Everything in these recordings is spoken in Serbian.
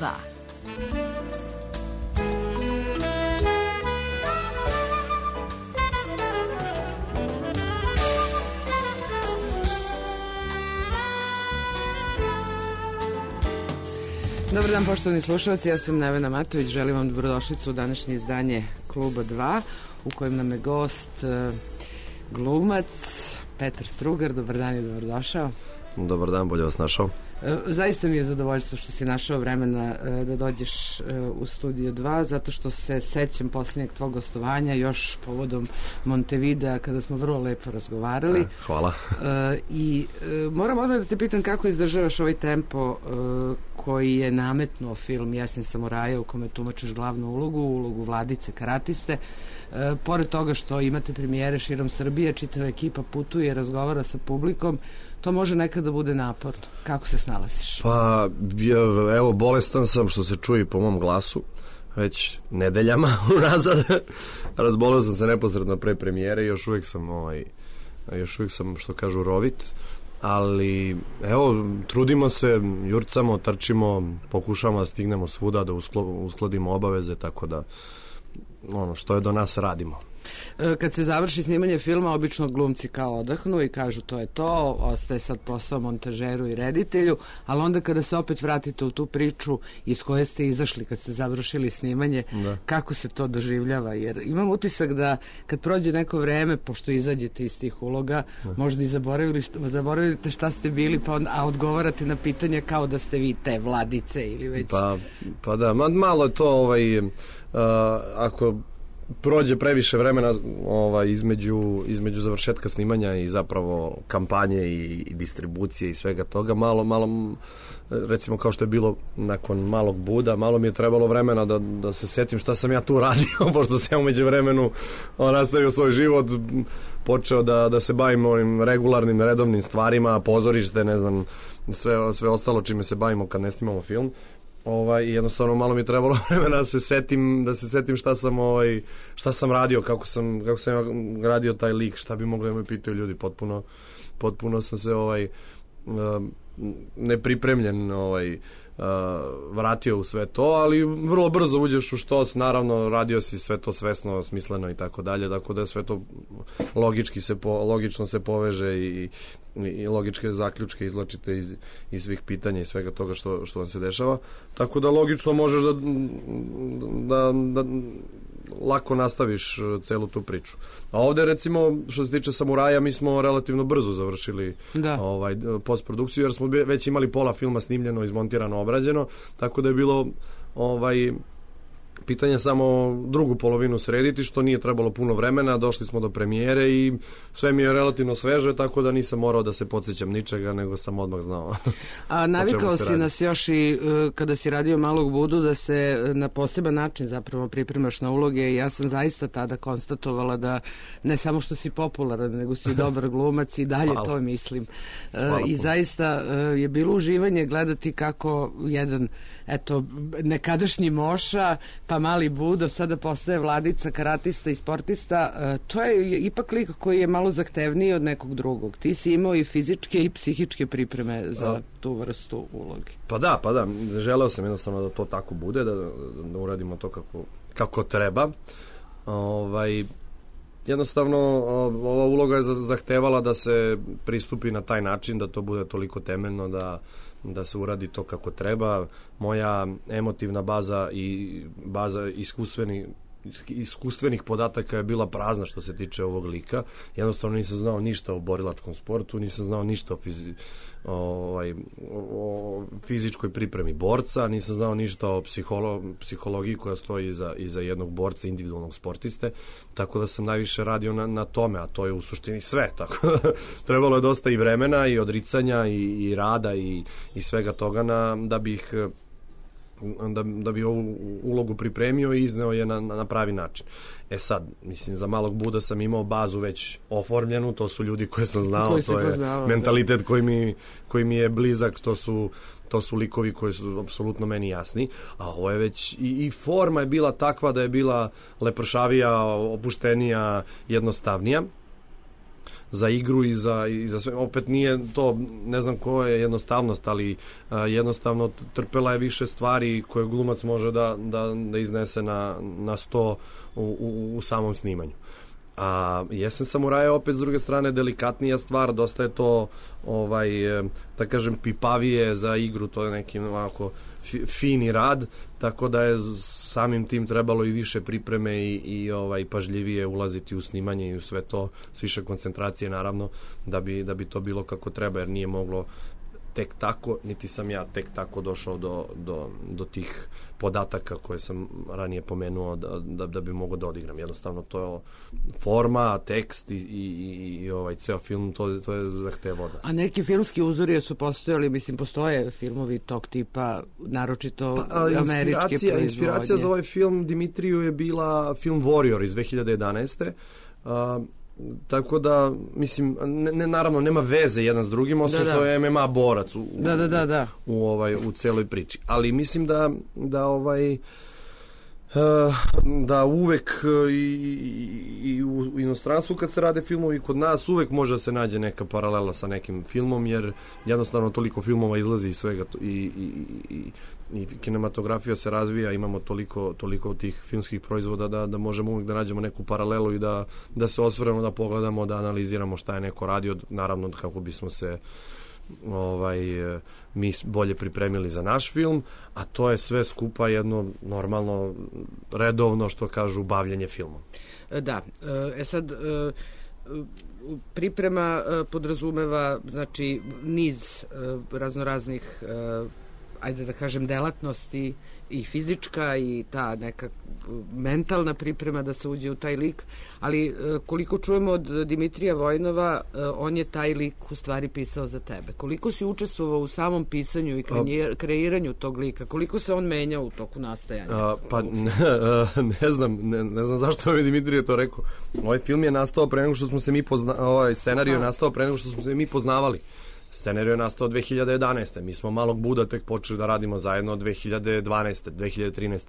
2. Dobar dan, poštovani slušalci, ja sam Nevena Matović, želim vam dobrodošlicu u današnje izdanje Kluba 2, u kojem nam je gost glumac Petar Strugar. Dobar dan i dobrodošao. Dobar dan, bolje vas našao. Zaista mi je zadovoljstvo što si našao vremena da dođeš u Studio 2, zato što se sećam posljednjeg tvog gostovanja još povodom Montevidea, kada smo vrlo lepo razgovarali. Hvala. I moram odmah da te pitam kako izdržavaš ovaj tempo koji je nametnuo film Jesen samuraja, u kome tumačiš glavnu ulogu Vladice karatiste. Pored toga što imate premijere širom Srbije, čitava ekipa putuje, razgovara sa publikom, to može nekada da bude naporno. Kako se snalaziš? Pa, evo, bolestan sam, što se čuje po mom glasu, već nedeljama unazad. Razboleo sam se neposredno pre premijere i još uvijek sam, što kažu, rovit. Ali, evo, trudimo se, jurcamo, trčimo, pokušamo da stignemo svuda, da uskladimo obaveze, tako da, ono, što je do nas radimo. Kad se završi snimanje filma, obično glumci kao odahnu i kažu to je to, ostaje sad posao montažeru i reditelju, ali onda kada se opet vratite u tu priču iz koje ste izašli kad ste završili snimanje, kako se to doživljava? Jer imam utisak da kad prođe neko vreme, pošto izađete iz tih uloga, možda i zaboravite šta ste bili, a odgovarate na pitanja kao da ste vi te Vladice ili već... Pa da, malo je to ako prođe previše vremena između završetka snimanja i zapravo kampanje i distribucije i svega toga, malo recimo kao što je bilo nakon Malog Buda, malo mi je trebalo vremena da se setim šta sam ja tu radio, pošto sam ja umeđu vremenu nastavio svoj život, počeo da se bavim ovim regularnim, redovnim stvarima, pozorište, ne znam, sve ostalo čime se bavimo kad ne snimamo film. I jednostavno malo mi je trebalo vremena da se setim šta sam radio, kako sam radio taj lik, šta bi mogli da me pitaju ljudi. Potpuno sam se nepripremljen vratio u sve to, ali vrlo brzo uđeš u štos, naravno radio si sve to svesno, smisleno i tako dalje, tako da sve to logično se poveže i logičke zaključke izvlačite iz svih pitanja i svega toga što vam se dešava, tako da logično možeš da lako nastaviš celu tu priču. A ovde recimo što se tiče Samuraja, mi smo relativno brzo završili postprodukciju, jer smo već imali pola filma snimljeno, izmontirano, obrađeno, tako da je bilo pitanje samo drugu polovinu srediti, što nije trebalo puno vremena, došli smo do premijere i sve mi je relativno sveže, tako da nisam morao da se podsjećam ničega, nego sam odmah znao. A navikao si nas još i kada si radio Malog Budu da se na poseban način zapravo pripremaš na uloge i ja sam zaista tada konstatovala da ne samo što si popularan, nego si dobar glumac i dalje to mislim. I zaista je bilo uživanje gledati kako jedan, nekadašnji Moša, pa Mali Budo, sada postaje Vladica, karatista i sportista. To je ipak lik koji je malo zahtevniji od nekog drugog. Ti si imao i fizičke i psihičke pripreme za tu vrstu uloge. Pa da. Želeo sam jednostavno da to tako bude, da uradimo to kako treba. Jednostavno, ova uloga je zahtevala da se pristupi na taj način, da to bude toliko temeljno, da se uradi to kako treba. Moja emotivna baza i baza iskustvenih podataka je bila prazna što se tiče ovog lika. Jednostavno nisam znao ništa o borilačkom sportu, nisam znao ništa o fizičkoj pripremi borca, nisam znao ništa o psihologiji koja stoji iza jednog borca, individualnog sportiste, tako da sam najviše radio na tome, a to je u suštini sve, tako da trebalo je dosta i vremena i odricanja i rada i svega toga da bi ovu ulogu pripremio i izneo je na pravi način. Sad, mislim, za Malog Buda sam imao bazu već oformljenu, to su ljudi koje sam znao, to je mentalitet koji mi je blizak, to su likovi koji su apsolutno meni jasni, a ovo je već i forma je bila takva da je bila lepršavija, opuštenija, jednostavnija. za igru i za sve. Opet nije to, ne znam ko je jednostavnost, ali jednostavno trpela je više stvari koje glumac može da iznese na sto u samom snimanju. A Jesen samuraja opet s druge strane delikatnija stvar, dosta je to da kažem pipavije za igru, to je neki ovako fini rad, tako da je samim tim trebalo i više pripreme i pažljivije ulaziti u snimanje i u sve to, s više koncentracije naravno, da bi to bilo kako treba, jer nije moglo tek tako, niti sam ja tek tako došao do tih podataka koje sam ranije pomenuo da bi mogao da odigram. Jednostavno to je forma, tekst i ceo film, to je zahtevao. A neki filmski uzori su postojali, mislim, postoje filmovi tog tipa, naročito američke proizvodnje. Inspiracija za ovaj film Dimitriju je bila film Warrior iz 2011. Tako da, mislim, naravno nema veze jedan s drugim, osim što je MMA borac u celoj priči. Ali mislim da uvek i u inostranstvu kad se rade filmovi i kod nas uvek može da se nađe neka paralela sa nekim filmom, jer jednostavno toliko filmova izlazi iz svega i kinematografija se razvija, imamo toliko tih filmskih proizvoda da možemo uvijek da nađemo neku paralelu i da se osvrnemo, da pogledamo, da analiziramo šta je neko radio, naravno kako bismo se mi bolje pripremili za naš film, a to je sve skupa jedno normalno, redovno, što kažu, bavljenje filmom. Da, sad priprema podrazumeva, znači, niz raznoraznih ajde da kažem delatnosti, i fizička i ta neka mentalna priprema da se uđe u taj lik, ali koliko čujemo od Dimitrija Vojnova, on je taj lik u stvari pisao za tebe. Koliko si učestvovao u samom pisanju i kreiranju tog lika? Koliko se on menjao u toku nastajanja? Pa ne znam zašto mi Dimitrije to rekao. Ovaj film je nastao pre nego što smo se mi ovaj scenarij je nastao pre nego što smo se mi poznavali. Scenarij je nastao 2011. Mi smo Malog Buda tek počeli da radimo zajedno 2012. 2013.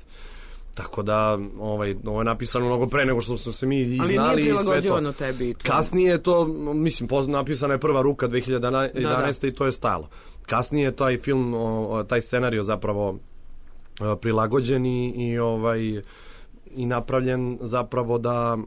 Tako da ovo je napisano mnogo pre nego što smo se mi i znali. Ali nije prilagođivano tebi. Kasnije je to, mislim, napisana je prva ruka 2011. i to je stajalo. Kasnije je taj film, taj scenarij zapravo prilagođen i napravljen zapravo da,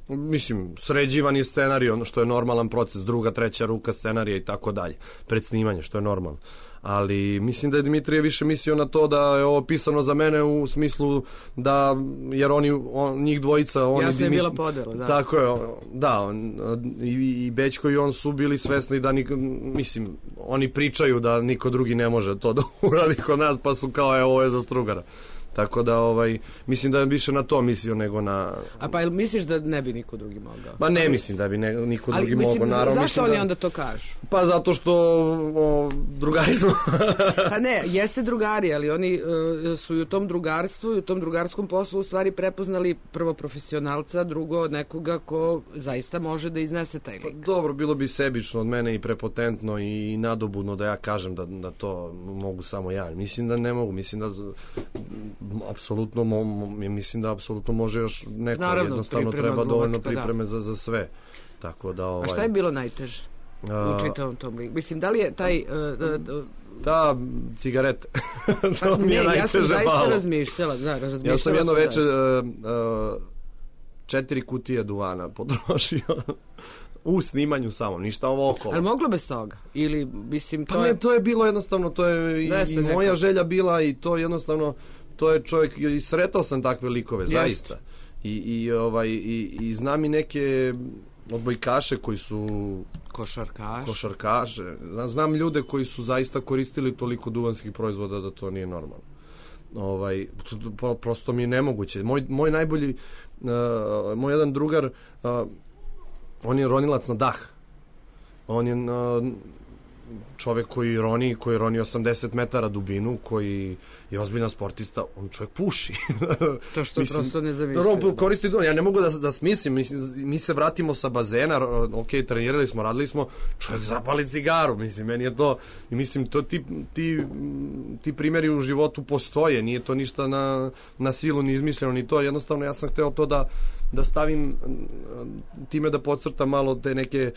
mislim, sređivan je scenarij, ono što je normalan proces, druga, treća ruka scenarija i tako dalje, pred snimanje, što je normalno. Ali mislim da je Dimitrije više mislio na to da je ovo pisano za mene u smislu da, jer njih dvojica... Jasno je bila podela, da. Tako je, da, i Bećko i on su bili svesni da, mislim, oni pričaju da niko drugi ne može to da uradi kod nas, pa su kao, ovo je za Strugara. Tako da, mislim da je više na to mislio nego na... A pa misliš da ne bi niko drugi mogao? Pa ne mislim da bi niko drugi mogao, naravno. Zašto oni onda to kažu? Pa zato što drugari smo. Pa ne, jeste drugari, ali oni su i u tom drugarstvu i u tom drugarskom poslu u stvari prepoznali prvo profesionalca, drugo nekoga ko zaista može da iznese taj lik. Pa dobro, bilo bi sebično od mene i prepotentno i nadobudno da ja kažem da to mogu samo ja. Mislim da ne mogu, mislim da apsolutno može još neko, naravno, jednostavno treba dovoljno pripreme za sve. Tako da, A šta je bilo najteže u čitavom tom liku? Mislim, da li je taj... Ta cigarete. Ja sam zaista razmišljala. Ja sam jedno večer 4 kutije duvana potrošio u snimanju samo, ništa ovo okolo. Ali moglo bez toga? Ili, mislim, pa ne, to je bilo jednostavno, to je i moja želja bila i to jednostavno, to je čovjek, i sretao sam takve likove, zaista. I znam i neke odbojkaše koji su košarkaše. Znam ljude koji su zaista koristili toliko duvanskih proizvoda da to nije normalno. Prosto mi je nemoguće. Moj najbolji, moj jedan drugar, on je ronilac na dah. On je čovjek koji roni 80 metara dubinu, koji je ozbiljan sportista, on čovjek puši. To što prosto ne zavisli. On koristi do, ja ne mogu da smislim, mi se vratimo sa bazena, ok, trenirali smo, radili smo, čovjek zapali cigaru, mislim, meni je to, mislim, to ti primjeri u životu postoje, nije to ništa na silu ni izmišljeno, ni to, jednostavno ja sam hteo to da stavim time da podcrtam malo te neke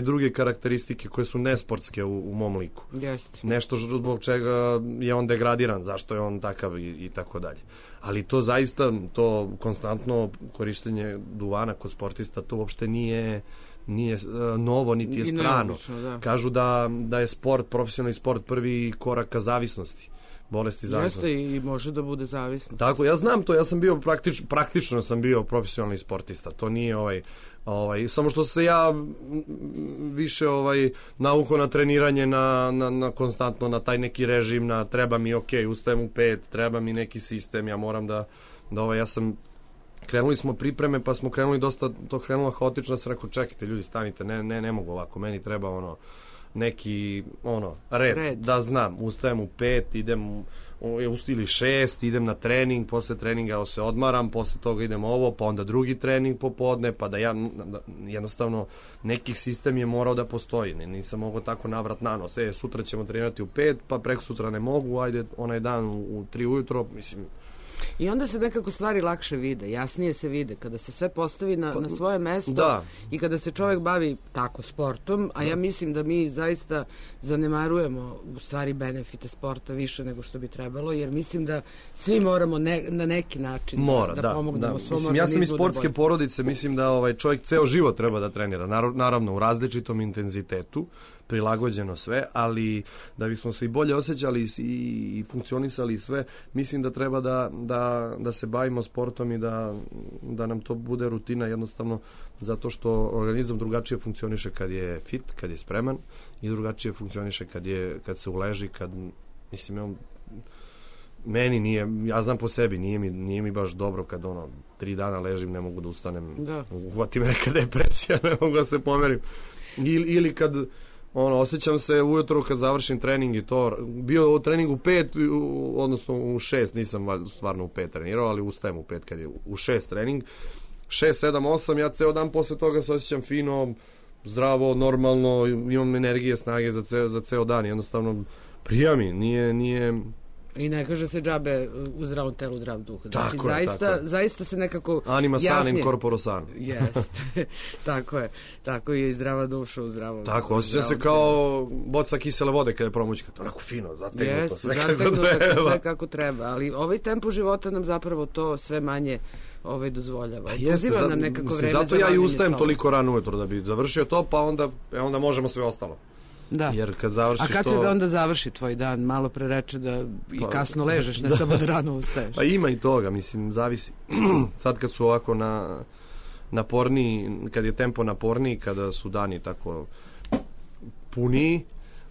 druge karakteristike koje su nesportske u mom liku. Jeste. Nešto zbog čega je on degradiran, zašto je on takav i tako dalje. Ali to zaista, to konstantno korištenje duvana kod sportista, to uopšte nije novo, niti je strano. Da. Kažu da je sport, profesionalni sport, prvi korak ka zavisnosti. Bolesti zavisnosti. Jeste i može da bude zavisno. Tako, ja znam to, ja sam bio praktično sam bio profesionalni sportista. To nije samo što se ja više naukao na treniranje, na konstantno na taj neki režim, na treba mi ustajem u 5, treba mi neki sistem, ja moram da ja sam krenuli smo pripreme, pa smo krenuli dosta, to krenulo haotično, sam rekao čekajte ljudi, stanite, ne mogu ovako, meni treba neki red, da znam, ustajem u 5, idem ili 6, idem na trening, posle treninga se odmaram, posle toga idem pa onda drugi trening popodne, pa da ja jednostavno neki sistem je morao da postoji, nisam mogao tako navrat na nos, sutra ćemo trenirati u 5, pa preko sutra ne mogu, ajde onaj dan u 3 ujutro, mislim. I onda se nekako stvari lakše vide, jasnije se vide, kada se sve postavi na svoje mesto i kada se čovjek bavi tako sportom, a ja mislim da mi zaista zanemarujemo u stvari benefite sporta više nego što bi trebalo, jer mislim da svi moramo na neki način da pomognemo svom organizmu. Ja sam iz sportske porodice, mislim da čovjek ceo život treba da trenira, naravno u različitom intenzitetu, prilagođeno sve, ali da bismo se i bolje osjećali i funkcionisali i sve, mislim da treba da se bavimo sportom i da nam to bude rutina, jednostavno zato što organizam drugačije funkcioniše kad je fit, kad je spreman, i drugačije funkcioniše kad se uleži, mislim, meni nije, ja znam po sebi, nije mi baš dobro kad 3 dana ležim, ne mogu da ustanem, uhvati me neka depresija, ne mogu da se pomerim, ili kad osjećam se ujutro kad završim trening i to, bio u treningu u 5, odnosno u 6, nisam stvarno u 5 trenirao, ali ustajem u 5 kad je u 6 trening, 6, 7, 8, ja ceo dan posle toga se osjećam fino, zdravo, normalno, imam energije, snage za ceo dan, jednostavno prija mi, nije... I ne kaže se džabe u zdravom telu, zdrav duh. Znači, zaista se nekako anima sanim corporo sano. Jeste, tako je i zdrava duša u zdravom. Tako, osjeća se kao boca kisele vode kada je promućka, to onako fino, zategnuto, sve kako treba, ali ovaj tempo života nam zapravo to sve manje dozvoljava. Poziva nam nekako vreme za zato ja i ustajem toliko rano ujutro da bi završio to, pa onda možemo sve ostalo. Da. Jer kad završiš a kad se onda završi tvoj dan? Malo pre reče da i kasno ležeš, ne samo da rano ustaješ. Pa ima i toga, mislim, zavisi. Sad kad su ovako naporniji, kad je tempo naporniji, kada su dani tako puniji,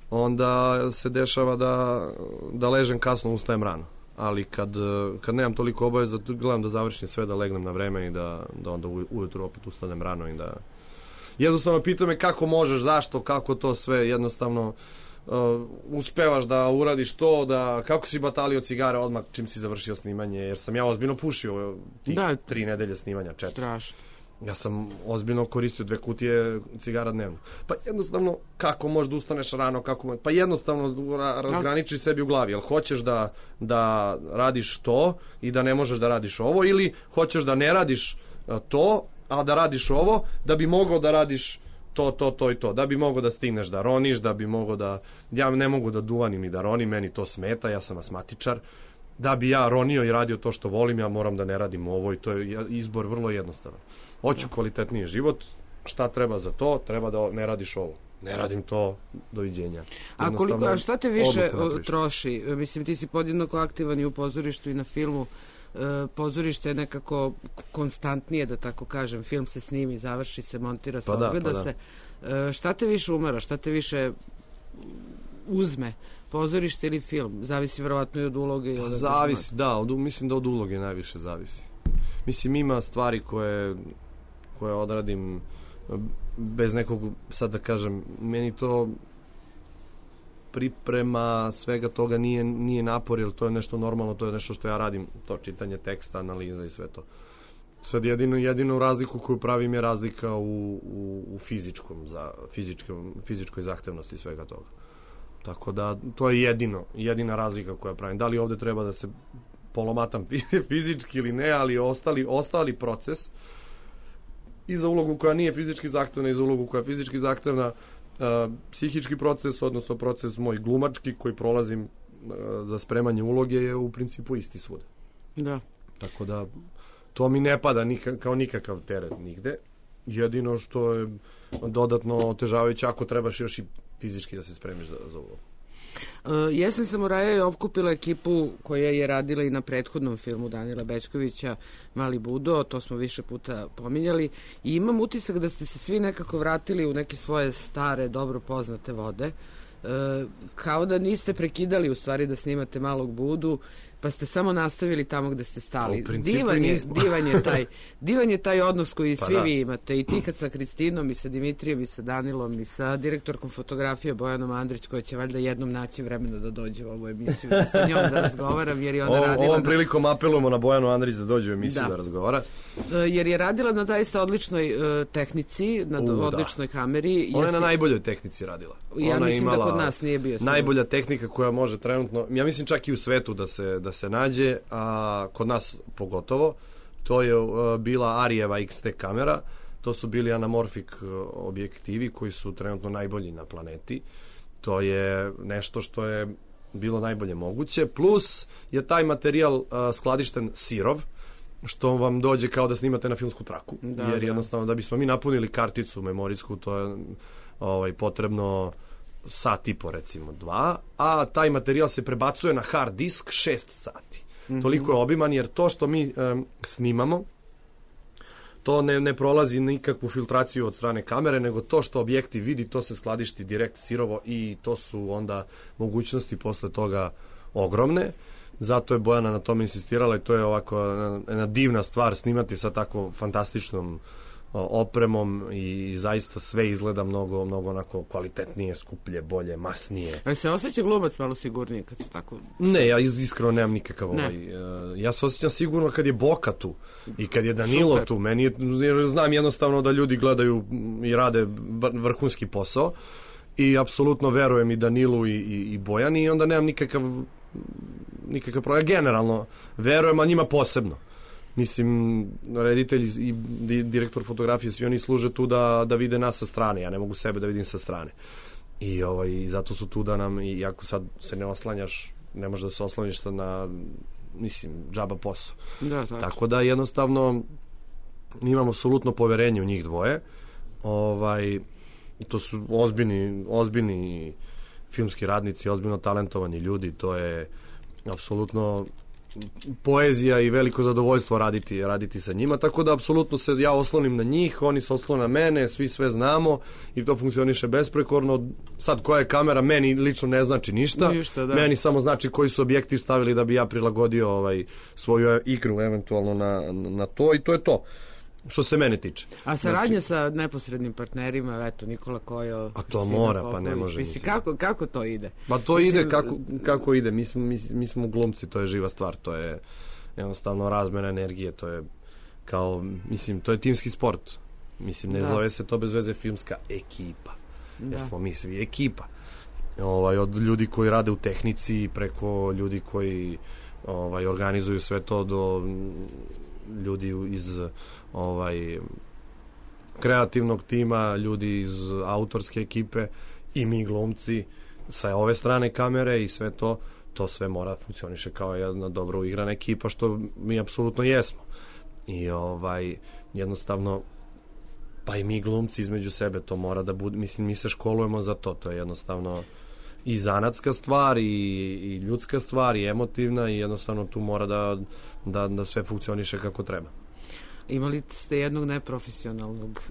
onda se dešava da ležem kasno, ustajem rano. Ali kad nemam toliko obaveza, gledam da završim sve, da legnem na vreme i da onda ujutro opet ustanem rano i da... Jednostavno pita me kako možeš, zašto, kako to sve, jednostavno uspevaš da uradiš to, kako si batalio cigare odmah čim si završio snimanje, jer sam ja ozbiljno pušio tih 3 nedelje snimanja, 4. Strašno. Ja sam ozbiljno koristio 2 kutije cigara dnevno. Pa jednostavno, kako možeš da ustaneš rano, pa jednostavno razgraniči sebi u glavi, jel hoćeš da radiš to i da ne možeš da radiš ovo, ili hoćeš da ne radiš to, a da radiš ovo, da bi mogao da radiš to i to, da bi mogao da stigneš da roniš, da bi mogao da... Ja ne mogu da duvanim i da ronim, meni to smeta, ja sam asmatičar. Da bi ja ronio i radio to što volim, ja moram da ne radim ovo i to je izbor vrlo jednostavan. Hoću kvalitetniji život, šta treba za to? Treba da ne radiš ovo. Ne radim to, doviđenja. A šta te više troši? Mislim, ti si podjednako aktivan i u pozorištu i na filmu. Pozorište je nekako konstantnije, da tako kažem, film se snimi, završi se, montira se, ogleda se. Šta te više umara, šta te više uzme, pozorište ili film? Zavisi verovatno i od uloge. Zavisi, mislim da od uloge najviše zavisi. Mislim, ima stvari koje odradim bez nekog, sad da kažem, meni to priprema svega toga nije napor, jer to je nešto normalno, to je nešto što ja radim, to čitanje teksta, analiza i sve to. Sad jedinu razliku koju pravim je razlika u fizičkoj zahtevnosti svega toga. Tako da to je jedina razlika koja pravim. Da li ovde treba da se polomatam fizički ili ne, ali ostali proces i za ulogu koja nije fizički zahtevna i za ulogu koja je fizički zahtevna, psihički proces, odnosno proces moj glumački koji prolazim za spremanje uloge je u principu isti svuda. Da. Tako da to mi ne pada kao nikakav teret nigde. Jedino što je dodatno otežavajuće ako trebaš još i fizički da se spremiš za ulogu. Jesen samuraja je okupila ekipu koja je radila i na prethodnom filmu Danila Bećkovića Mali Budo, to smo više puta pominjali, i imam utisak da ste se svi nekako vratili u neke svoje stare, dobro poznate vode, kao da niste prekidali u stvari da snimate Malog Budu, pa ste samo nastavili tamo gde ste stali. Divan je taj odnos koji svi vi imate, i ti kad sa Kristinom i sa Dimitrijem i sa Danilom i sa direktorkom fotografije Bojanom Andrić, koja će valjda jednom naći vremena da dođe u ovu emisiju, da sa njom da razgovaram, jer je ona radila... Ovom prilikom apelujemo na Bojanu Andrić da dođe u emisiju da razgovara. Jer je radila na zaista odličnoj tehnici, na odličnoj kameri. Ona je na najboljoj tehnici radila. Ja mislim da kod nas nije bio. Najbolja tehnika koja može trenutno, ja mislim čak i u svetu da se nađe, a kod nas pogotovo, to je bila Arijeva XT kamera, to su bili anamorfik objektivi koji su trenutno najbolji na planeti. To je nešto što je bilo najbolje moguće, plus je taj materijal skladišten sirov, što vam dođe kao da snimate na filmsku traku, jer jednostavno da bismo mi napunili karticu memorijsku, to je potrebno sat i po, recimo 2, a taj materijal se prebacuje na hard disk 6 sati. Toliko je obiman, jer to što mi snimamo, to ne prolazi nikakvu filtraciju od strane kamere, nego to što objektiv vidi, to se skladišti direkt sirovo, i to su onda mogućnosti posle toga ogromne. Zato je Bojana na tome insistirala, i to je ovako jedna divna stvar snimati sa tako fantastičnom opremom, i zaista sve izgleda mnogo onako kvalitetnije, skuplje, bolje, masnije. Ali se osjeća glumac malo sigurnije kad se tako... Ne, ja iskreno nemam nikakav ja se osjećam sigurno kad je Boka tu i kad je Danilo tu. Meni je, jer znam jednostavno da ljudi gledaju i rade vrhunski posao, i apsolutno verujem i Danilu i Bojani, i onda nemam nikakav problem. Generalno verujem, a njima posebno. Mislim, reditelj i direktor fotografije, svi oni služe tu da vide nas sa strane. Ja ne mogu sebe da vidim sa strane. I zato su tu da nam, i ako sad se ne oslanjaš, ne možeš da se osloniš sad na, mislim, džaba posao. Da, tako da jednostavno imam apsolutno poverenje u njih dvoje. To su ozbiljni filmski radnici, ozbiljno talentovani ljudi. To je apsolutno poezija i veliko zadovoljstvo raditi sa njima, tako da apsolutno se ja oslonim na njih, oni se oslone na mene, svi sve znamo i to funkcioniše besprekorno. Sad koja je kamera meni lično ne znači ništa, meni samo znači koji su objektiv stavili da bi ja prilagodio svoju igru eventualno na to, i to je to što se mene tiče. A saradnja sa neposrednim partnerima, eto, Nikola Kojo... A to mora, pa ne može. Mislim, kako to ide? Pa to ide kako ide. Mi smo glumci, to je živa stvar, to je jednostavno razmena energije, to je kao, mislim, to je timski sport. Mislim, ne zove se to bez veze filmska ekipa. Jer smo mi svi ekipa. Od ljudi koji rade u tehnici, preko ljudi koji organizuju sve to, do ljudi iz kreativnog tima, ljudi iz autorske ekipe, i mi glumci sa ove strane kamere, i sve to sve mora funkcioniše kao jedna dobro uigrana ekipa, što mi apsolutno jesmo. I jednostavno, pa i mi glumci između sebe, to mora da bude, mislim, mi se školujemo za to je jednostavno i zanatska stvar, i ljudska stvar, i emotivna, i jednostavno tu mora da sve funkcioniše kako treba. Imali ste jednog neprofesionalnog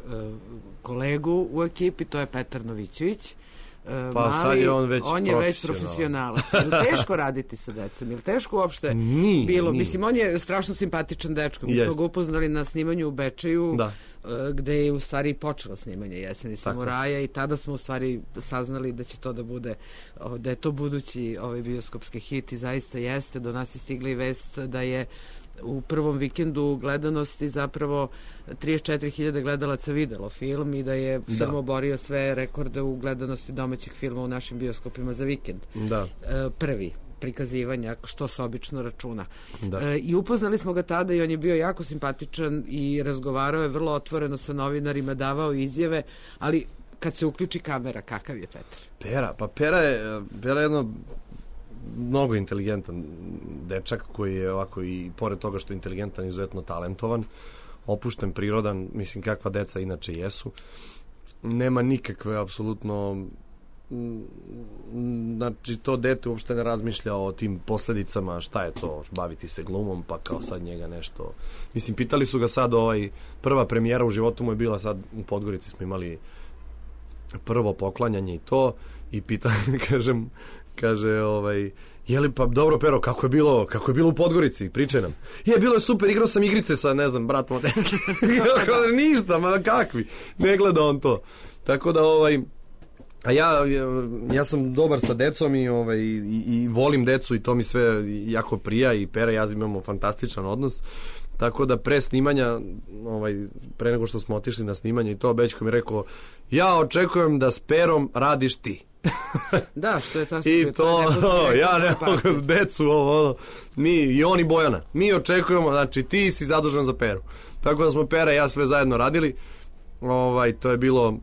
kolegu u ekipi, to je Petar Novićević. Pa sad je on već profesionalac. Je li teško raditi sa decom? Je li teško uopšte bilo? Nije. Mislim, on je strašno simpatičan dečko. Mi smo ga upoznali na snimanju u Bečeju. gde je u stvari počelo snimanje Jeseni samuraja i tada smo u stvari saznali da će to da bude, da je to budući bioskopski hit i zaista jeste. Do nas je stigla i vest da je u prvom vikendu gledanosti zapravo 34.000 gledalaca videlo film i da je film oborio sve rekorde u gledanosti domaćih filma u našim bioskopima za vikend. Prvi prikazivanja, što se obično računa. I upoznali smo ga tada i on je bio jako simpatičan i razgovarao je vrlo otvoreno sa novinarima, davao izjave, ali kad se uključi kamera, kakav je Petar? Pera je jedno mnogo inteligentan dečak koji je ovako i pored toga što je inteligentan, izuzetno talentovan, opušten, prirodan, mislim kakva deca inače jesu. Nema nikakve apsolutno, znači to dete uopšte ne razmišlja o tim posledicama, šta je to, baviti se glumom, pa kao sad njega nešto. Mislim, pitali su ga sad, prva premijera u životu mu je bila sad u Podgorici, smo imali prvo poklanjanje i to, i kaže, jeli pa dobro Pero, kako je bilo u Podgorici, pričaj nam. Bilo je super, igrao sam igrice sa, ne znam, bratom od ništa, ma kakvi, ne gleda on to. Tako da, a ja sam dobar sa decom i volim decu i to mi sve jako prija i Pera i ja imamo fantastičan odnos. Tako da pre snimanja, pre nego što smo otišli na snimanje i to, Bećko mi rekao, ja očekujem da s Perom radiš ti. Da, što je sasvim. I to, ja ne mogu decu, mi i on i Bojana, mi očekujemo, znači ti si zadužen za Peru. Tako da smo Pera i ja sve zajedno radili, to je bilo...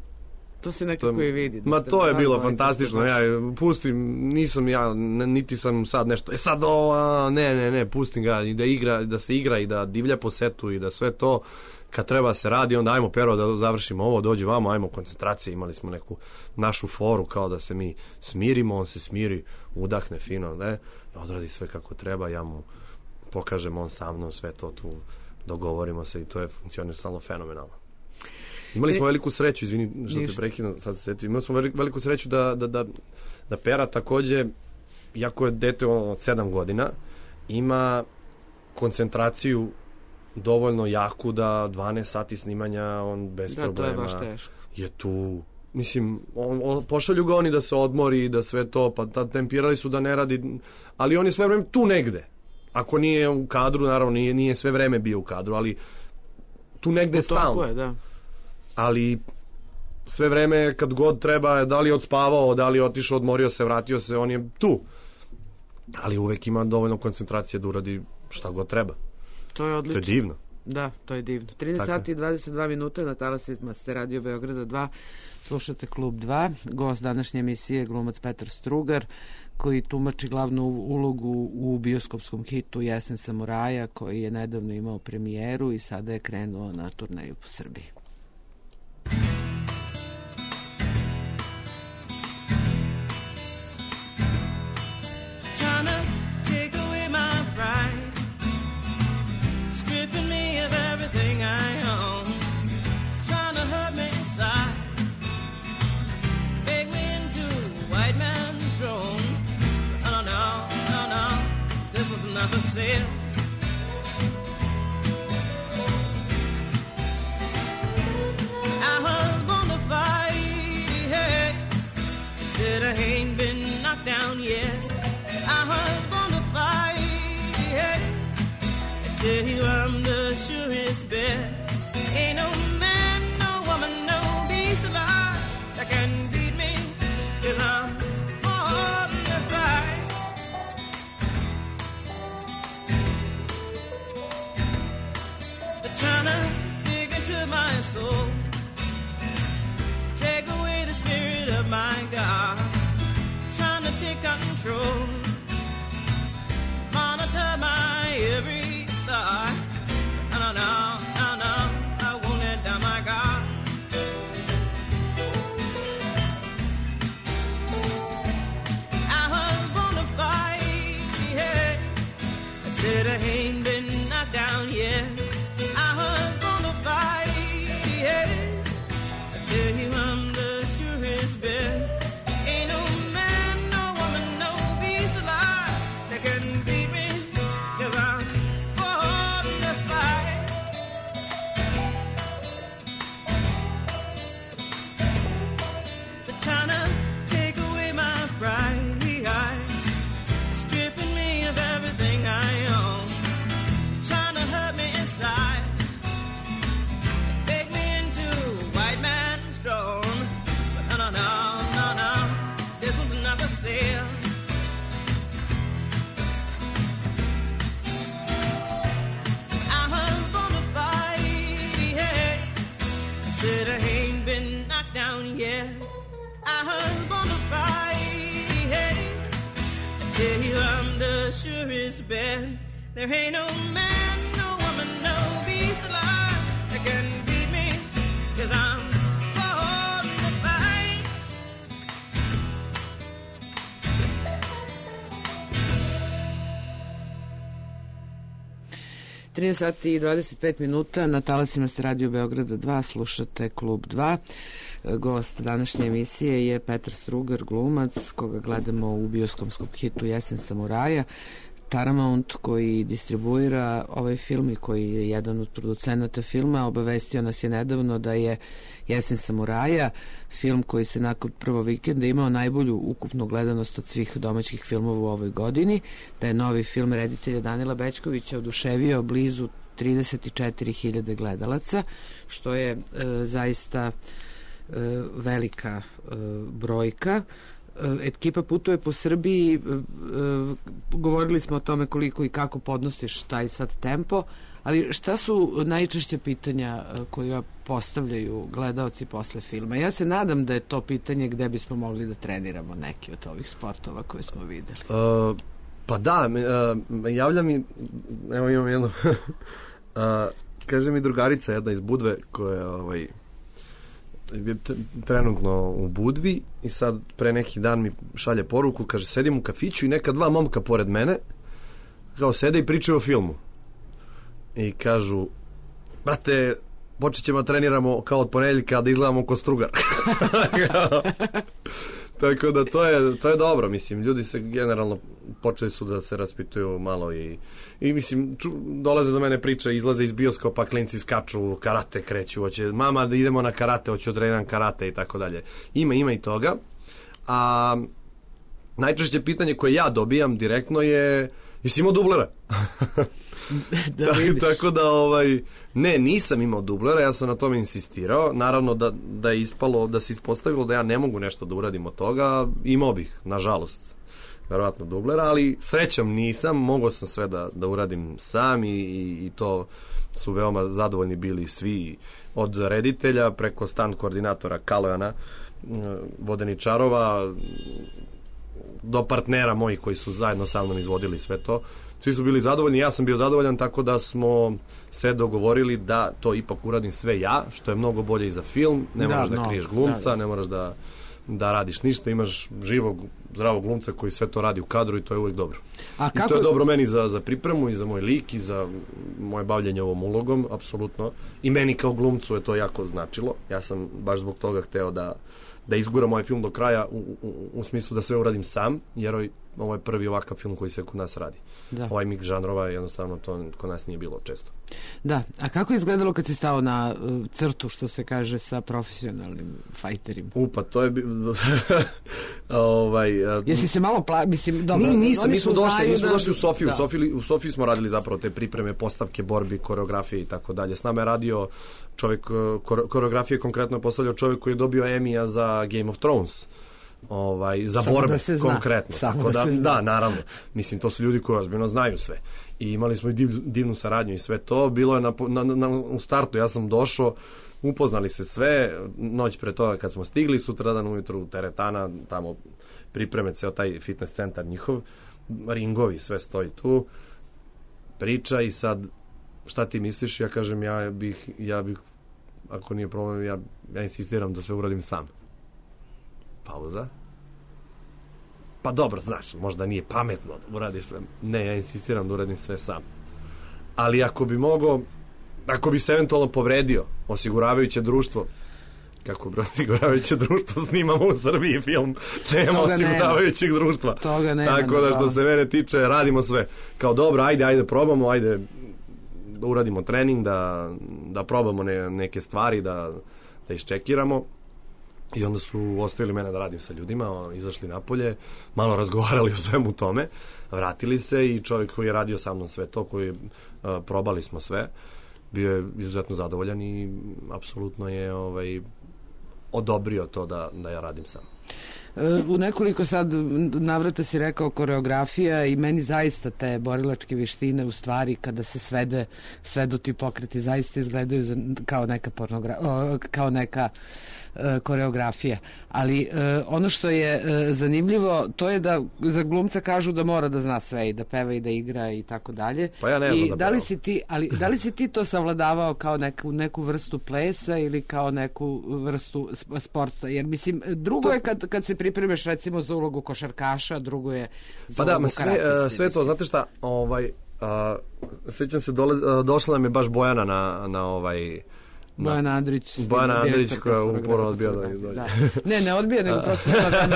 To se nekako i vidi. Ma to je bilo fantastično, ja pustim, nisam ja, niti sam sad nešto, sad ne, pustim ga i da igra, da se igra i da divlja po setu i da sve to, kad treba se radi, onda ajmo Pero da završimo ovo, dođi vamo, ajmo koncentracije, imali smo neku našu foru kao da se mi smirimo, on se smiri, udahne fino, odradi sve kako treba, ja mu pokažem, on sa mnom, sve to tu dogovorimo se i to je funkcioniralo fenomenalno. Imali smo veliku sreću, izvini što te prekidam, sad se setim, imali smo veliku sreću da Pera takođe, jako je dete od 7 godina, ima koncentraciju dovoljno jaku da 12 sati snimanja on bez problema to je baš teško. Je tu, mislim, pošalju ga oni da se odmori, da sve to, pa tempirali su da ne radi, ali on je sve vreme tu negde. Ako nije u kadru, naravno nije sve vreme bio u kadru, ali tu negde stalno. Tako je, da. Ali sve vreme kad god treba, da li je odspavao, da li je otišao, odmorio se, vratio se, on je tu. Ali uvek ima dovoljno koncentracije da uradi šta god treba. To je odlično. To je divno. Da, to je divno. 13 sati i 22 minuta na talasima ste Radio Beograda 2. Slušate Klub 2. Gost današnje emisije je glumac Petar Strugar, koji tumači glavnu ulogu u bioskopskom hitu Jesen samuraja, koji je nedavno imao premijeru i sada je krenuo na turneju po Srbiji. Said I was gonna fight, hey. He said I ain't been knocked down yet. I was gonna fight, hey. I tell you I'm the surest bet. Ain't no man, no woman, no beast alive that can beat me, 'cause I'm on the fight. Trying to dig into my soul, take away the spirit of my God, trying to take control, monitor my every thought. No, I won't let down my God. I was gonna fight, yeah. I said I ain't been knocked down yet. I'm the surest bet. Ain't no man, no woman, no beast said I ain't been knocked down yet. I was gonna fight, hey. I tell you I'm the surest bet. There ain't no man, no woman, no beast alive that can beat me, 'cause I'm born to fight. 13 sati i 25 minuta, na talasima ste Radio Beograda 2, slušate Klub 2. Gost današnje emisije je Petar Strugar, glumac, koga gledamo u bioskopskom hitu Jesen samuraja. Paramount, koji distribuira ovaj film i koji je jedan od producenata filma, obavestio nas je nedavno da je Jesen samuraja, film koji se nakon prvog vikenda imao najbolju ukupnu gledanost od svih domaćih filmova u ovoj godini, da je novi film reditelja Danila Bećkovića oduševio blizu 34.000 gledalaca, što je zaista velika brojka. Ekipa putuje po Srbiji, govorili smo o tome koliko i kako podnosiš taj sad tempo, ali šta su najčešće pitanja koja postavljaju gledaoci posle filma? Ja se nadam da je to pitanje gde bismo mogli da treniramo neki od ovih sportova koje smo videli. Pa da, javlja mi, evo imam jedno, kaže mi drugarica jedna iz Budve koja je trenutno u Budvi i sad pre neki dan mi šalje poruku, kaže sedim u kafiću i neka dva momka pored mene kao sede i pričaju o filmu i kažu, brate, počet ćemo treniramo kao od ponedeljka da izgledamo ko Strugar. Tako da to je dobro, mislim, ljudi se generalno počeli su da se raspituju malo i mislim, dolaze do mene priče, izlaze iz bioskopa, klinci skaču, karate kreću, hoće, mama da idemo na karate, hoće treniram karate i tako dalje. Ima i toga. A najčešće pitanje koje ja dobijam direktno je, jesi imao dublera? Tako da ne, nisam imao dublera, ja sam na tome insistirao, naravno da je ispalo, da se ispostavilo da ja ne mogu nešto da uradim od toga, imao bih, nažalost, verovatno dublera, ali srećom nisam, mogao sam sve da uradim sam i to su veoma zadovoljni bili svi, od reditelja preko stand koordinatora Kalojana Vodeničarova do partnera mojih koji su zajedno sa mnom izvodili sve to. Svi su bili zadovoljni, ja sam bio zadovoljan, tako da smo se dogovorili da to ipak uradim sve ja, što je mnogo bolje i za film. Ne moraš da kriješ glumca, ne moraš da radiš ništa, imaš živog, zdravog glumca koji sve to radi u kadru i to je uvijek dobro. I to je dobro meni za pripremu i za moj lik i za moje bavljenje ovom ulogom, apsolutno. I meni kao glumcu je to jako značilo. Ja sam baš zbog toga hteo da izguram ovaj film do kraja u smislu da sve uradim sam, jer ovo je prvi ovakav film koji se kod nas radi. Da. Ovaj mix žanrova, jednostavno to kod nas nije bilo često. Da, a kako je izgledalo kad si stao na crtu, što se kaže, sa profesionalnim fajterima? Pa to je... Jesi se malo mislim, dobro... Nisam, mi smo došli u Sofiju. U Sofiji smo radili zapravo te pripreme, postavke, borbi, koreografije i tako dalje. S nama je radio čovjek, koreografije konkretno je postavljao čovjek koji je dobio Emija za Game of Thrones. Za samo borbe konkretno. Tako da, naravno. Mislim, to su ljudi koji ozbiljno znaju sve. I imali smo i divnu saradnju i sve to. Bilo je u startu, ja sam došao, upoznali se sve, noć pre toga kad smo stigli, sutradan ujutru teretana, tamo pripreme ceo taj fitness centar njihov, ringovi, sve stoji tu, priča i sad šta ti misliš? Ja kažem, ja bih ako nije problem, ja insistiram da sve uradim sam. Pauza. Pa dobro, znaš, možda nije pametno da uradiš sve. Ne, ja insistiram da uradim sve sam. Ali ako bi se eventualno povredio osiguravajuće društvo, kako bi osiguravajuće društvo snimamo u Srbiji film, nema osiguravajućeg društva. Toga nema. Tako da što se mene tiče, radimo sve. Kao dobro, ajde probamo, ajde da uradimo trening, da probamo neke stvari, da iščekiramo. I onda su ostavili mene da radim sa ljudima, izašli napolje, malo razgovarali o svemu tome, vratili se i čovjek koji je radio sa mnom sve to, koji probali smo sve, bio je izuzetno zadovoljan i apsolutno je odobrio to da ja radim sam. U nekoliko sad navrata si rekao koreografija i meni zaista te borilačke vještine u stvari kada se svedu ti pokreti zaista izgledaju kao neka koreografija. Ali ono što je zanimljivo to je da za glumca kažu da mora da zna sve i da peva i da igra i tako dalje. Pa ja ne znam da pevam. Da li si ti to savladavao kao neku vrstu plesa ili kao neku vrstu sporta? Jer mislim, drugo je kad se pripremaš recimo za ulogu košarkaša, drugo je za ulogu karatiste. Sve to, znate šta, sjećam se, došla nam je baš Bojana na Bojana Andrić koja uporno odbija da izdođe. Ne odbija, nego prosto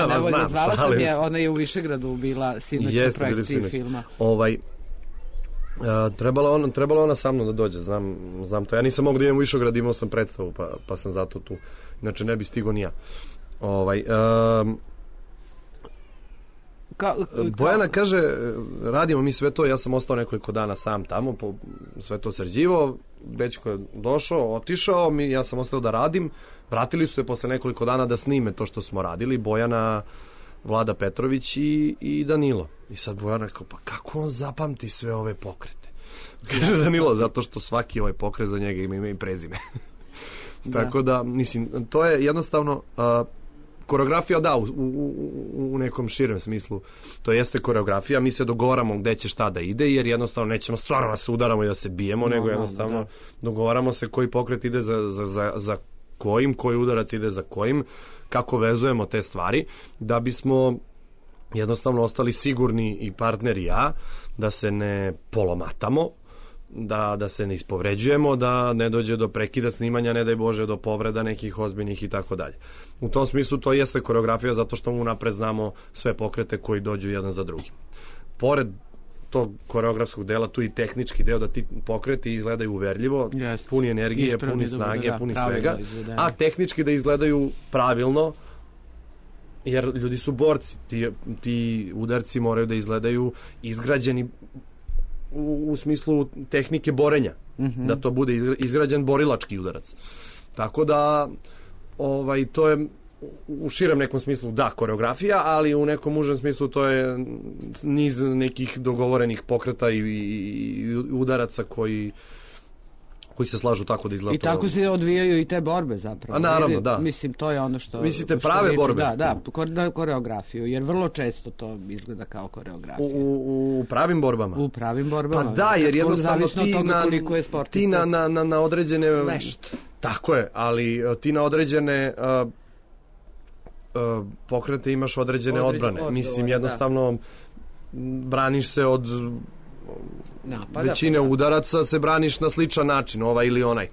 ne volje. Zvala sam je, ona je u Višegradu bila sinoć na projekciji filma. Trebala ona sa mnom da dođe, znam to. Ja nisam mogu da idem u Višegrad, imao sam predstavu, pa sam zato tu. Inače ne bi stigo ni ja. Bojana kaže, radimo mi sve to, ja sam ostao nekoliko dana sam tamo, sve to sređivao, dečko je došao, otišao, ja sam ostao da radim, vratili su se posle nekoliko dana da snime to što smo radili, Bojana, Vlada Petrović i Danilo. I sad Bojana rekao, pa kako on zapamti sve ove pokrete? Kaže Danilo, zato što svaki ovaj pokret za njega ima ime i prezime. Tako da, mislim, to je jednostavno... Koreografija, da, u nekom širem smislu to jeste koreografija, mi se dogovaramo gde će šta da ide, jer jednostavno nećemo stvarno da se udaramo i da se bijemo, nego jednostavno dogovaramo se koji pokret ide za kojim, koji udarac ide za kojim, kako vezujemo te stvari, da bismo jednostavno ostali sigurni i partner i ja, da se ne polomatamo, da se ne ispovređujemo, da ne dođe do prekida snimanja, ne daj Bože do povreda nekih ozbiljnih i tako dalje. U tom smislu to jeste koreografija zato što unapred znamo sve pokrete koji dođu jedan za drugim. Pored tog koreografskog dela, tu i tehnički deo da ti pokreti izgledaju uverljivo, puni energije, puni snage, puni svega, a tehnički da izgledaju pravilno, jer ljudi su borci. Ti udarci moraju da izgledaju izgrađeni u smislu tehnike borenja, da to bude izgrađen borilački udarac. Tako da to je u širem nekom smislu da koreografija, ali u nekom užem smislu to je niz nekih dogovorenih pokreta i udaraca koji se slažu tako da izgleda. I tako se odvijaju i te borbe zapravo. A naravno, da. Mislim, to je ono što... Mislite prave borbe? Da, koreografiju, jer vrlo često to izgleda kao koreografija. U pravim borbama? U pravim borbama. Pa da, jer jednostavno ti na određene... Vešt. Tako je, ali ti na određene pokrete imaš određene odbrane. Mislim, jednostavno braniš se od... većine udaraca se braniš na sličan način, ovaj ili onaj.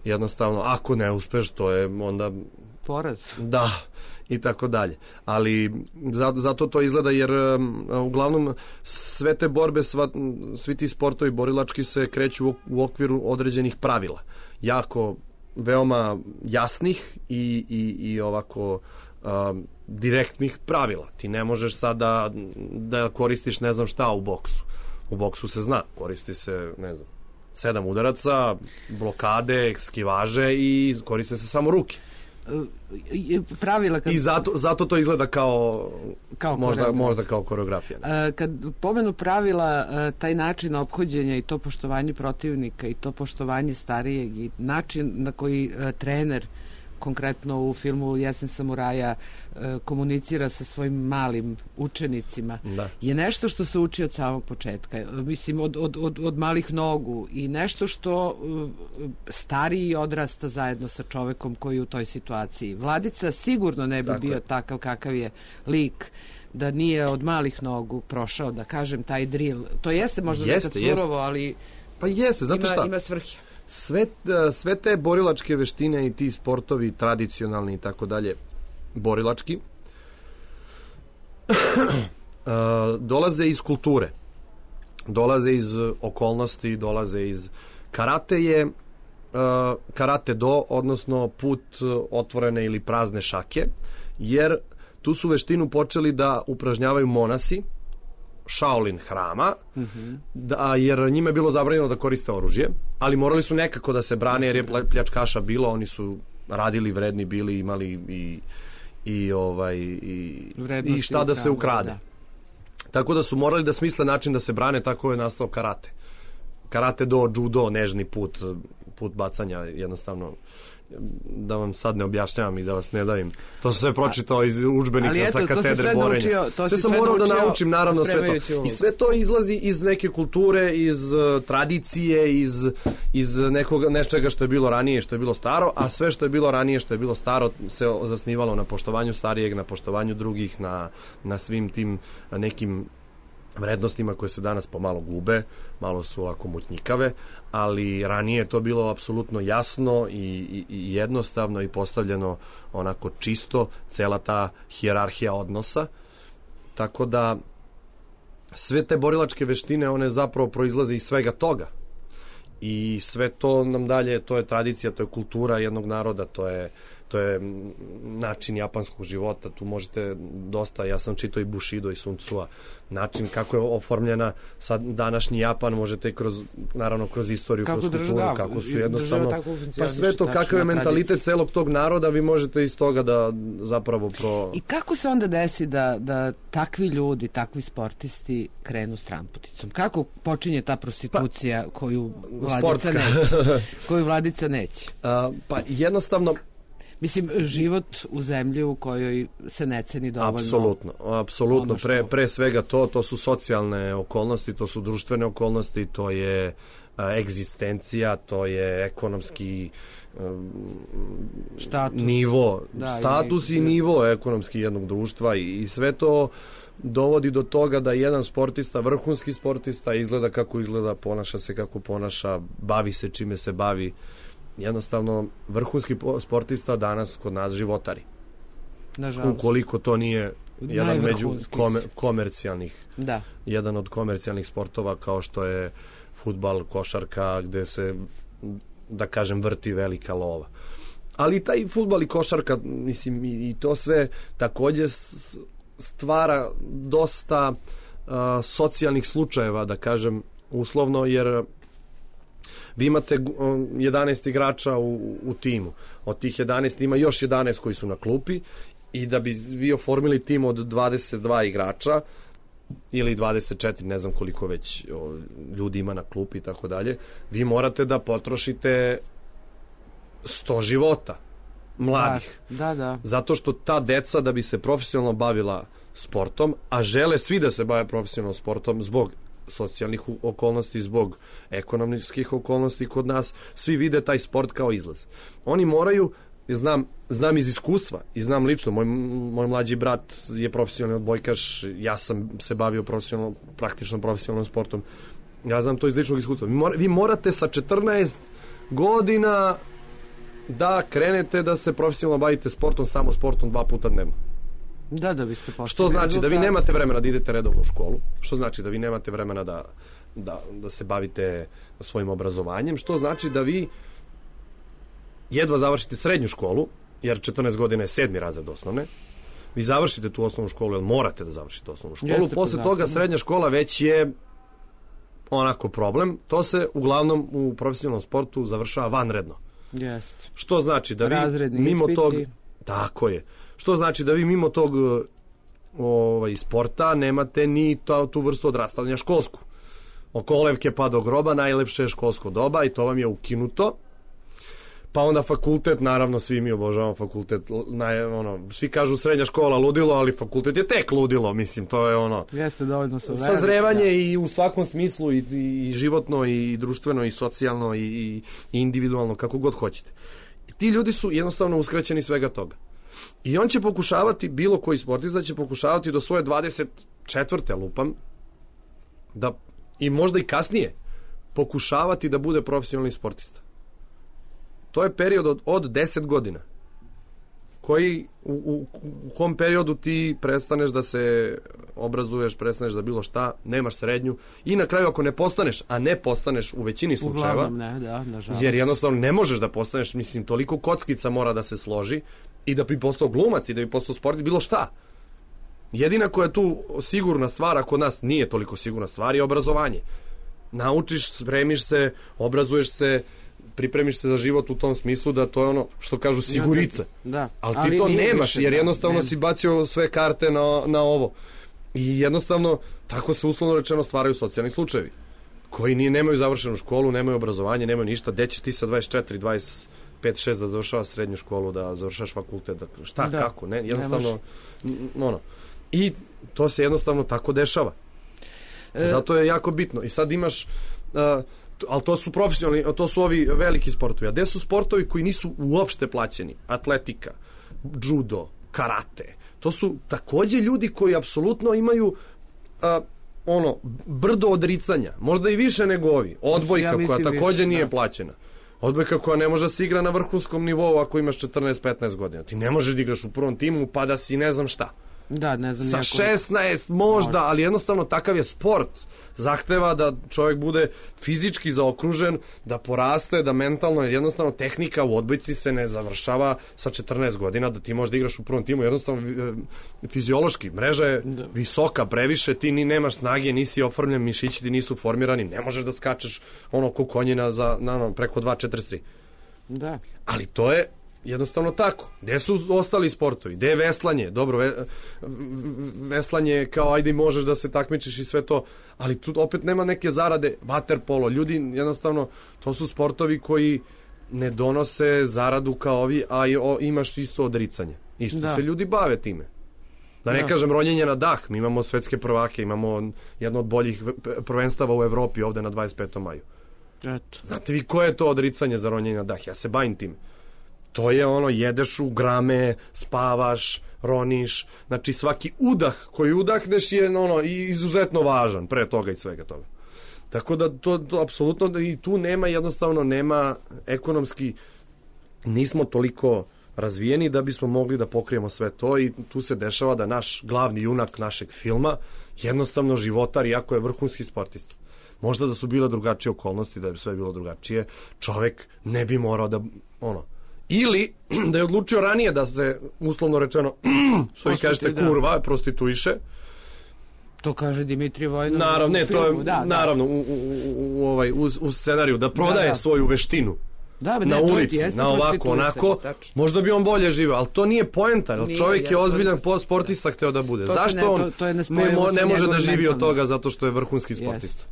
Jednostavno, ako ne uspeš, to je onda... Poraz. Da, i tako dalje. Ali zato to izgleda, jer uglavnom sve te borbe, svi ti sportovi borilački se kreću u okviru određenih pravila. Jako, veoma jasnih i ovako... direktnih pravila. Ti ne možeš sad da koristiš ne znam šta u boksu. U boksu se zna, koristi se, ne znam, 7 udaraca, blokade, skivaže i koriste se samo ruke. Pravila i zato to izgleda kao možda kao koreografija. Kad pomenu pravila, taj način ophođenja i to poštovanje protivnika i to poštovanje starijeg i način na koji trener konkretno u filmu Jesen samuraja komunicira sa svojim malim učenicima, je nešto što se uči od samog početka. Mislim, od malih nogu i nešto što stariji odrasta zajedno sa čovekom koji je u toj situaciji. Vladica sigurno ne bi bio takav kakav je lik da nije od malih nogu prošao, da kažem, taj drill. To jeste možda nekad surovo, ali pa jeste, znate šta? Ima svrhe. Sve te borilačke veštine i ti sportovi tradicionalni i tako dalje, borilački, dolaze iz kulture, dolaze iz okolnosti, dolaze iz karate do, odnosno put otvorene ili prazne šake, jer tu su veštinu počeli da upražnjavaju monasi Shaolin hrama, jer njima je bilo zabranjeno da koriste oružje, ali morali su nekako da se brane, jer je pljačkaša bilo, oni su radili, vredni bili, imali i šta da se ukrade. Tako da su morali da smisle način da se brane, tako je nastao karate. Karate do, judo, nežni put bacanja, jednostavno, da vam sad ne objašnjavam i da vas ne davim. To sam sve pročitao iz udžbenika sa katedre borenja. Sve sam morao da naučim, naravno, sve to. I sve to izlazi iz neke kulture, iz tradicije, iz nečega što je bilo ranije, što je bilo staro, a sve što je bilo ranije, što je bilo staro, se zasnivalo na poštovanju starijeg, na poštovanju drugih, na svim tim nekim vrednostima koje se danas pomalo gube, malo su ovako mutnjikave, ali ranije je to bilo apsolutno jasno i jednostavno i postavljeno onako čisto, cela ta hijerarhija odnosa, tako da sve te borilačke veštine, one zapravo proizlaze iz svega toga i sve to nam dalje, to je tradicija, to je kultura jednog naroda, to je način japanskog života, tu možete dosta, ja sam čitao i Bushido i Sun Tsua, način kako je oformljena sad današnji Japan, možete naravno kroz istoriju, kroz kulturu, kako su jednostavno, pa sve to, kakav je mentalitet celog tog naroda, vi možete iz toga da zapravo I kako se onda desi da takvi ljudi, takvi sportisti krenu stranputicom? Kako počinje ta prostitucija koju Vladica neće? Pa jednostavno, mislim, život u zemlji u kojoj se ne ceni dovoljno. Apsolutno. Pre svega to su socijalne okolnosti, to su društvene okolnosti, to je egzistencija, to je ekonomski nivo, status i nivo ekonomski jednog društva i sve to dovodi do toga da jedan sportista, vrhunski sportista, izgleda kako izgleda, ponaša se kako ponaša, bavi se čime se bavi. Jednostavno, vrhunski sportista danas kod nas životari. Nažalost. Ukoliko to nije jedan jedan od komercijalnih sportova kao što je fudbal, košarka, gde se, da kažem, vrti velika lova. Ali taj fudbal i košarka, mislim, i to sve takođe stvara dosta socijalnih slučajeva, da kažem, uslovno, jer vi imate 11 igrača u timu. Od tih 11 ima još 11 koji su na klupi i da bi vi oformili tim od 22 igrača ili 24, ne znam koliko već ljudi ima na klupi i tako dalje, vi morate da potrošite 100 života mladih. Da. Zato što ta deca, da bi se profesionalno bavila sportom, a žele svi da se bave profesionalno sportom zbog socijalnih okolnosti, zbog ekonomskih okolnosti kod nas, svi vide taj sport kao izlaz. Oni moraju, znam iz iskustva i znam lično, moj mlađi brat je profesionalni odbojkaš, ja sam se bavio praktično profesionalnom sportom, ja znam to iz ličnog iskustva. Vi morate sa 14 godina da krenete da se profesionalno bavite sportom, samo sportom 2 puta dnevno. Da biste postavili. Što znači da vi nemate vremena da idete redovno u školu, što znači da vi nemate vremena da se bavite svojim obrazovanjem, što znači da vi jedva završite srednju školu, jer 14 godina je 7. razred osnovne, vi završite tu osnovnu školu, jer morate da završite osnovnu školu, posle toga srednja škola već je onako problem, to se uglavnom u profesionalnom sportu završava vanredno. Što znači da vi mimo tog, tako je, što znači da vi mimo tog sporta nemate ni tu vrstu odrastanja školsku. Od kolevke pa do groba najlepše je školsko doba i to vam je ukinuto. Pa onda fakultet, naravno svi mi obožavamo fakultet, svi kažu srednja škola ludilo, ali fakultet je tek ludilo, mislim, to je jeste dovoljno sazrevanje i u svakom smislu i životno i društveno i socijalno i individualno, kako god hoćete. I ti ljudi su jednostavno uskraćeni svega toga. I on će pokušavati, bilo koji sportista će pokušavati do svoje 24. lupam, i možda i kasnije, pokušavati da bude profesionalni sportista. To je period od 10 godina. Koji, u kom periodu ti prestaneš da se obrazuješ, prestaneš da bilo šta, nemaš srednju i na kraju ako ne postaneš, a ne postaneš u većini slučajeva, jer jednostavno ne možeš da postaneš, mislim, toliko kockica mora da se složi i da bi postao glumac i da bi postao sportist, bilo šta. Jedina koja je tu sigurna stvar, a kod nas nije toliko sigurna stvar, je obrazovanje. Naučiš, spremiš se, obrazuješ se, pripremiš se za život u tom smislu da to je ono što kažu sigurice. Da. Ali ti to nemaš, jer jednostavno si bacio sve karte na ovo. I jednostavno, tako se uslovno rečeno stvaraju socijalni slučajevi, koji nemaju završenu školu, nemaju obrazovanje, nemaju ništa. Gde ćeš ti sa 24, 25, 6 da završavaš srednju školu, da završaš fakultet, kako, ne, jednostavno, I to se jednostavno tako dešava. Zato je jako bitno. I sad imaš, ali to su profesionalni, to su ovi veliki sportovi. A gde su sportovi koji nisu uopšte plaćeni? Atletika, judo, karate. To su takođe ljudi koji apsolutno imaju brdo odricanja. Možda i više nego ovi. Odbojka koja takođe nije plaćena. Odbojka koja ne može da se igra na vrhunskom nivou ako imaš 14-15 godina. Ti ne možeš da igraš u prvom timu pa da si ne znam šta. Da, ne znam. Sa 16 možda, ali jednostavno takav je sport. Zahteva da čovjek bude fizički zaokružen, da poraste, da mentalno, jer jednostavno tehnika u odbojci se ne završava sa 14 godina, da ti možeš da igraš u prvom timu. Jednostavno fiziološki, mreža je visoka, previše, ti ni nemaš snage, nisi oformljen, mišići ti nisu formirani, ne možeš da skačeš ko konjina preko 2.43. Da. Ali to je jednostavno tako. Gde su ostali sportovi? Gde je veslanje? Dobro, veslanje kao ajde možeš da se takmičiš i sve to, ali tu opet nema neke zarade. Vaterpolo, ljudi jednostavno, to su sportovi koji ne donose zaradu kao ovi, a imaš isto odricanje. Isto se ljudi bave time. Da ne kažem ronjenje na dah. Mi imamo svetske prvake, imamo jedno od boljih prvenstava u Evropi ovde na 25. maju. Eto. Znate vi koje je to odricanje za ronjenje na dah? Ja se bavim tim. To je jedeš u grame, spavaš, roniš, znači svaki udah koji udahneš je izuzetno važan pre toga i svega toga. Tako da to apsolutno i tu nema ekonomski, nismo toliko razvijeni da bismo mogli da pokrijemo sve to i tu se dešava da naš glavni junak našeg filma jednostavno životar, iako je vrhunski sportista. Možda da su bile drugačije okolnosti, da bi sve bilo drugačije, čovek ne bi morao da ili da je odlučio ranije da se, uslovno rečeno, što vi kažete, kurva, prostituiše. To kaže Dimitrij Vojnov. Naravno, ne, to je, naravno, u scenariju, da prodaje svoju veštinu na ulici, na ovako, onako, možda bi on bolje živio, ali to nije poenta, jer čovjek je ozbiljan sportista hteo da bude. Zašto on ne može da živi od toga zato što je vrhunski sportista?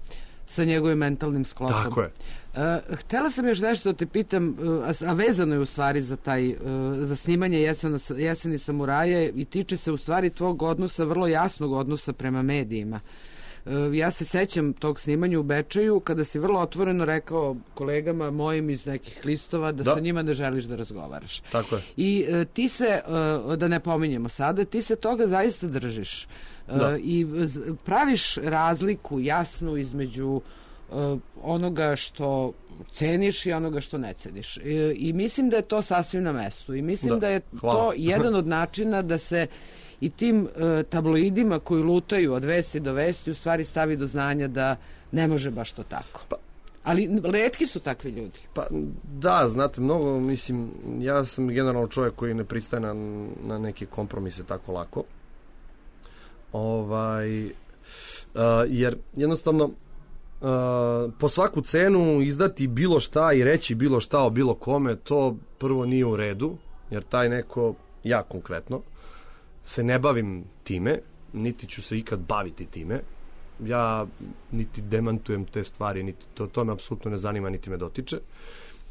Sa njegovim mentalnim sklopom. Tako je. Htela sam još nešto da te pitam, a vezano je u stvari za snimanje Jeseni samuraje i tiče se u stvari tvog odnosa, vrlo jasnog odnosa prema medijima. Ja se sećam tog snimanja u Bečeju kada si vrlo otvoreno rekao kolegama mojim iz nekih listova da sa njima ne želiš da razgovaraš. Tako je. I ti se, da ne pominjemo sada, ti se toga zaista držiš. I praviš razliku jasnu između onoga što ceniš i onoga što ne ceniš. I mislim da je to sasvim na mestu. I mislim da je to jedan od načina da se i tim tabloidima koji lutaju od vesti do vesti u stvari stavi do znanja da ne može baš to tako. Ali retki su takvi ljudi. Pa da, znate, mnogo, mislim, ja sam generalno čovjek koji ne pristaje na neke kompromise tako lako. Jer jednostavno po svaku cenu izdati bilo šta i reći bilo šta o bilo kome, to prvo nije u redu, jer taj neko, ja konkretno, se ne bavim time, niti ću se ikad baviti time. Ja niti demantujem te stvari, niti to me apsolutno ne zanima, niti me dotiče.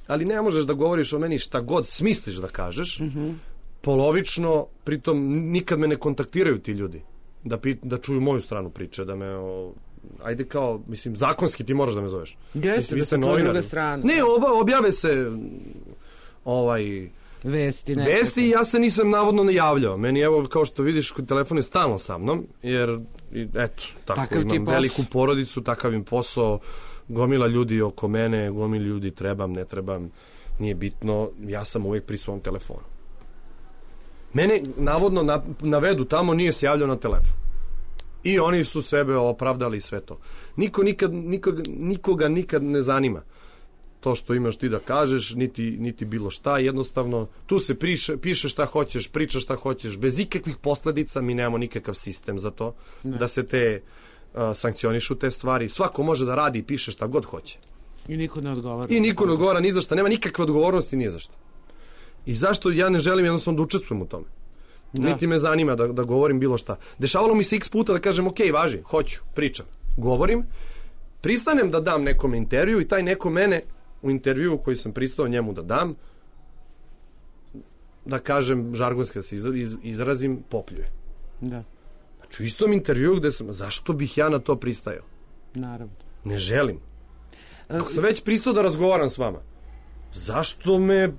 Ali ne možeš da govoriš o meni šta god smisliš da kažeš, polovično, pritom nikad me ne kontaktiraju ti ljudi da čuju moju stranu priče, da me ajde kao, mislim, zakonski ti moraš da me zoveš. Jeste, da se čuje druga strana. Ne, objave se vesti i ja se nisam navodno najavljao. Meni, evo, kao što vidiš, telefon je stalno sa mnom, jer, eto, tako, imam veliku porodicu, takav im posao, gomila ljudi oko mene, gomila ljudi trebam, ne trebam, nije bitno, ja sam uvijek pri svom telefonu. Mene, navodno, navedu tamo, nije se javljao na telefon. I oni su sebe opravdali sve to. Nikoga nikad ne zanima to što imaš ti da kažeš, niti bilo šta, jednostavno tu se piše šta hoćeš, pričaš šta hoćeš, bez ikakvih posledica, mi nemamo nikakav sistem za to, da se te sankcionišu te stvari. Svako može da radi i piše šta god hoće. I niko ne odgovara. I niko ne odgovara ni za šta, nema nikakve odgovornosti ni za šta. I zašto ja ne želim jednostavno da učestvujem u tome? Niti me zanima da govorim bilo šta. Dešavalo mi se x puta da kažem, ok, važi, hoću, pričam, govorim, pristanem da dam nekom intervju i taj neko mene u intervju koji sam pristao njemu da dam, da kažem, žargonski da se izrazim, popljuje. Da. Znači, u istom intervju gde sam, zašto bih ja na to pristajao? Naravno. Ne želim. Ako sam već pristao da razgovaram s vama, zašto me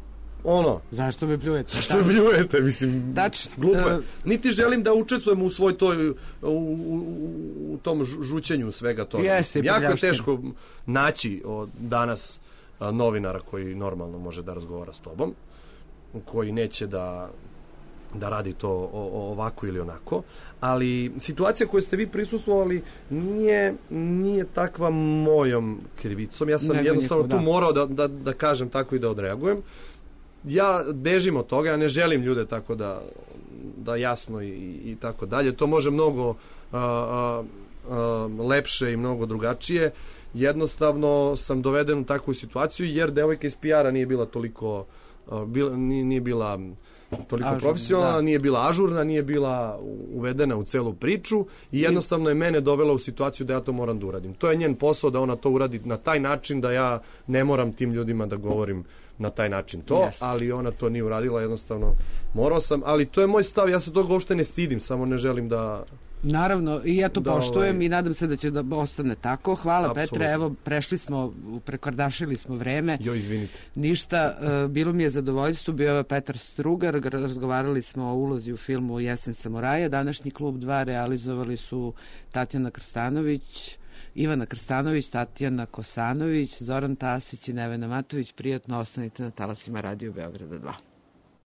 Zašto me pljujete? Zašto me pljujete, mislim, glupo je. Niti želim da učestvujem u svoj toj, u tom žućenju svega toga. Jako je teško naći danas novinara koji normalno može da razgovara s tobom, koji neće da radi to ovako ili onako, ali situacija koju ste vi prisustvovali nije takva mojom krivicom. Ja sam jednostavno tu morao da kažem tako i da odreagujem. Ja bežim od toga, ja ne želim ljude tako da jasno i tako dalje. To može mnogo lepše i mnogo drugačije. Jednostavno sam doveden u takvu situaciju jer devojka iz PR-a nije bila toliko profesionalna, nije bila ažurna, nije bila uvedena u celu priču i jednostavno je mene dovela u situaciju da ja to moram da uradim. To je njen posao da ona to uradi na taj način da ja ne moram tim ljudima da govorim na taj način to, ali ona to nije uradila, jednostavno morao sam, ali to je moj stav, ja se toga uopšte ne stidim, samo ne želim da... Naravno, i ja to poštujem i nadam se da će da ostane tako. Hvala, Petre, evo, prekardašili smo vreme. Izvinite. Ništa, bilo mi je zadovoljstvo, bio je Petar Strugar, razgovarali smo o ulozi u filmu Jesen samuraja, današnji Klub 2 realizovali su Tatjana Krstanović, Ivana Krstanović, Tatjana Kosanović, Zoran Tasić i Nevena Matović. Prijatno, ostanite na talasima Radio Beograda 2.